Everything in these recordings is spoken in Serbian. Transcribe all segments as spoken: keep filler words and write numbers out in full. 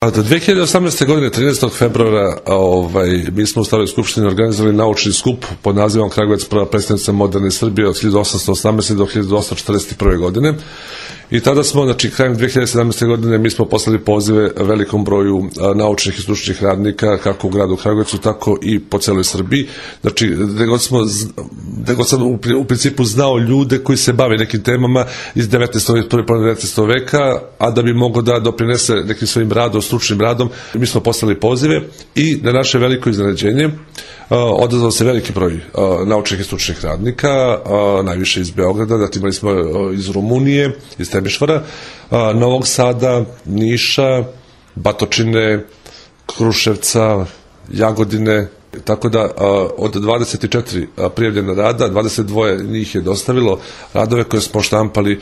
Do dve hiljade osamnaeste. godine, trinaestog februara, ovaj, mi smo u Staroj skupštini organizovali naučni skup pod nazivom Kragujevac, prva prestonica moderne Srbije od hiljadu osamsto osamnaeste. do hiljadu osamsto četrdeset prve. godine. I tada smo, znači, krajem dve hiljade sedamnaeste. godine mi smo poslali pozive velikom broju naučnih i stručnih radnika, kako u gradu Kragujevcu, tako i po celoj Srbiji. Znači, gde god smo, gde god sam u, u principu znao ljude koji se bave nekim temama iz devetnaestog. prve polovine devetnaestog. veka, a da bi mogao da doprinese nekim svojim radom, stručnim radom, mi smo poslali pozive i na naše veliko iznenađenje odazvao se veliki broj naučnih i stručnih radnika, najviše iz Beograda, zatim imali smo iz Rumunije, iz Temišvara, Novog Sada, Niša, Batočine, Kruševca, Jagodine, tako da od dvadeset četiri prijavljena rada, dvadeset dva njih je dostavilo radove koje smo štampali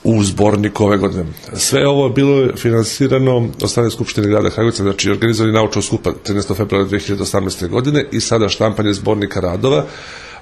u zborniku ove godine. Sve ovo je bilo finansirano od strane Skupštine grada Kragujevca, znači organizovani naučnog skupa trinaestog februara dve hiljade osamnaeste. godine i sada štampanje zbornika radova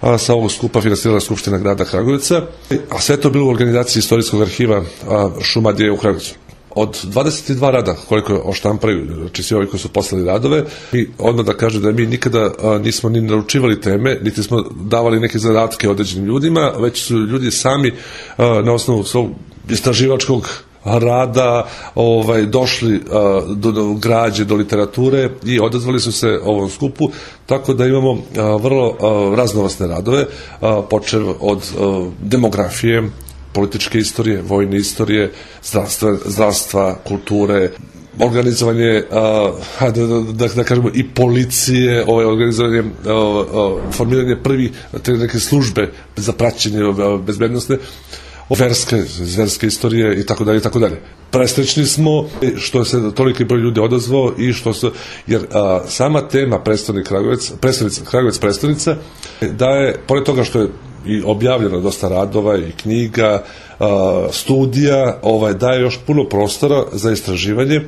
a, sa ovog skupa finansirala Skupština grada Kragujevca, a sve to bilo u organizaciji Istorijskog arhiva a, Šumadije u Kragujevcu. Od dvadeset dva rada koliko je oštampali, znači svi ovi koji su poslali radove, mi odmah da kažem da mi nikada a, nismo ni naručivali teme, niti smo davali neke zadatke određenim ljudima, već su ljudi sami a, na osnovu svog istraživačkog rada ovaj, došli a, do, do građe, do literature i odazvali su se ovom skupu, tako da imamo a, vrlo a, raznovrsne radove, a, počev od a, demografije, političke istorije, vojne istorije, zdravstva, zdravstva, kulture, organizovanje, a, da, da, da kažemo, i policije, ovaj, organizovanje, a, a, formiranje prvi te neke službe za praćenje a, bezbednostne, verske, verske istorije i tako dalje i tako dalje. Presrećni smo što se toliki broj ljudi odazvao i što se, jer a, sama tema prestonik Kragujevac, prestonica, Kragujevac prestonica, da je, pored toga što je i objavljeno dosta radova i knjiga, a, studija, ovaj, daje još puno prostora za istraživanje,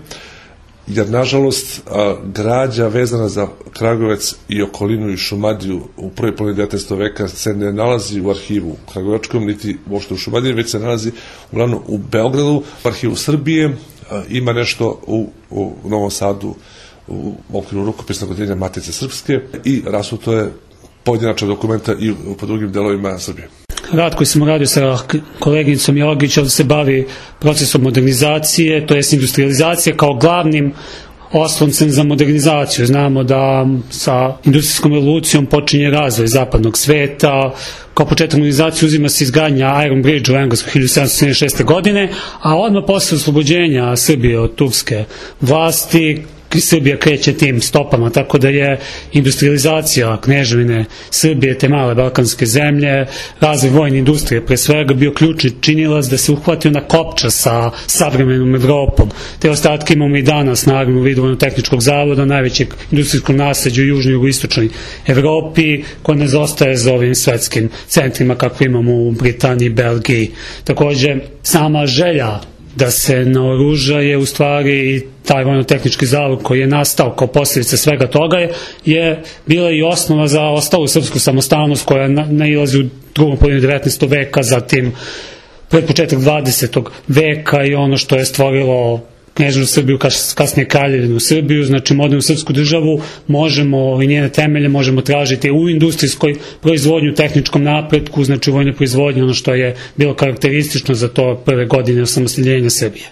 jer nažalost a, građa vezana za Kragujevac i okolinu i Šumadiju u prvoj polovini devetnaestog. veka se ne nalazi u arhivu kragujevačkom, niti uopšte u Šumadiji, već se nalazi uglavnom u Beogradu, u arhivu Srbije, a, ima nešto u, u Novom Sadu u okviru rukopisnog odeljenja Matice Srpske i rasuto je pojedinačna dokumenta i po drugim delovima Srbije. Rad koji sam radio sa koleginicom Jogić ovdje se bavi procesom modernizacije, to jest industrializacije kao glavnim osloncem za modernizaciju. Znamo da sa industrijskom revolucijom počinje razvoj zapadnog sveta, kao početak modernizacije uzima se izgradnja Iron Bridge u Engleskoj hiljadu sedamsto sedamdeset šeste. godine, a odmah posle oslobođenja Srbije od turske vlasti Srbija kreće tim stopama, tako da je industrializacija kneževine Srbije, te male balkanske zemlje, razvoj vojne industrije pre svega bio ključni činilac da se uhvatio na kopča sa savremenom Evropom. Te ostatke imamo i danas, naravno, u vidu Vojno-tehničkog zavoda, najvećeg industrijskog nasleđa u južnoj i jugoistočnoj Evropi, koja ne zostaje za ovim svetskim centrima kakve imamo u Britaniji, Belgiji. Takođe, sama želja da se naoruža je u stvari i taj vojno-tehnički zavod koji je nastao kao posljedica svega toga je, je bila i osnova za ostalu srpsku samostalnost koja na, nailazi u drugom polovini devetnaestog. veka, zatim pred početak dvadesetog. veka i ono što je stvorilo Kneževinu Srbiju, kasnije Kraljevinu Srbiju, znači modernu srpsku državu, možemo i njene temelje možemo tražiti u industrijskoj proizvodnju, u tehničkom napretku, znači u vojnoj proizvodnji, ono što je bilo karakteristično za to prve godine osamostaljenja Srbije.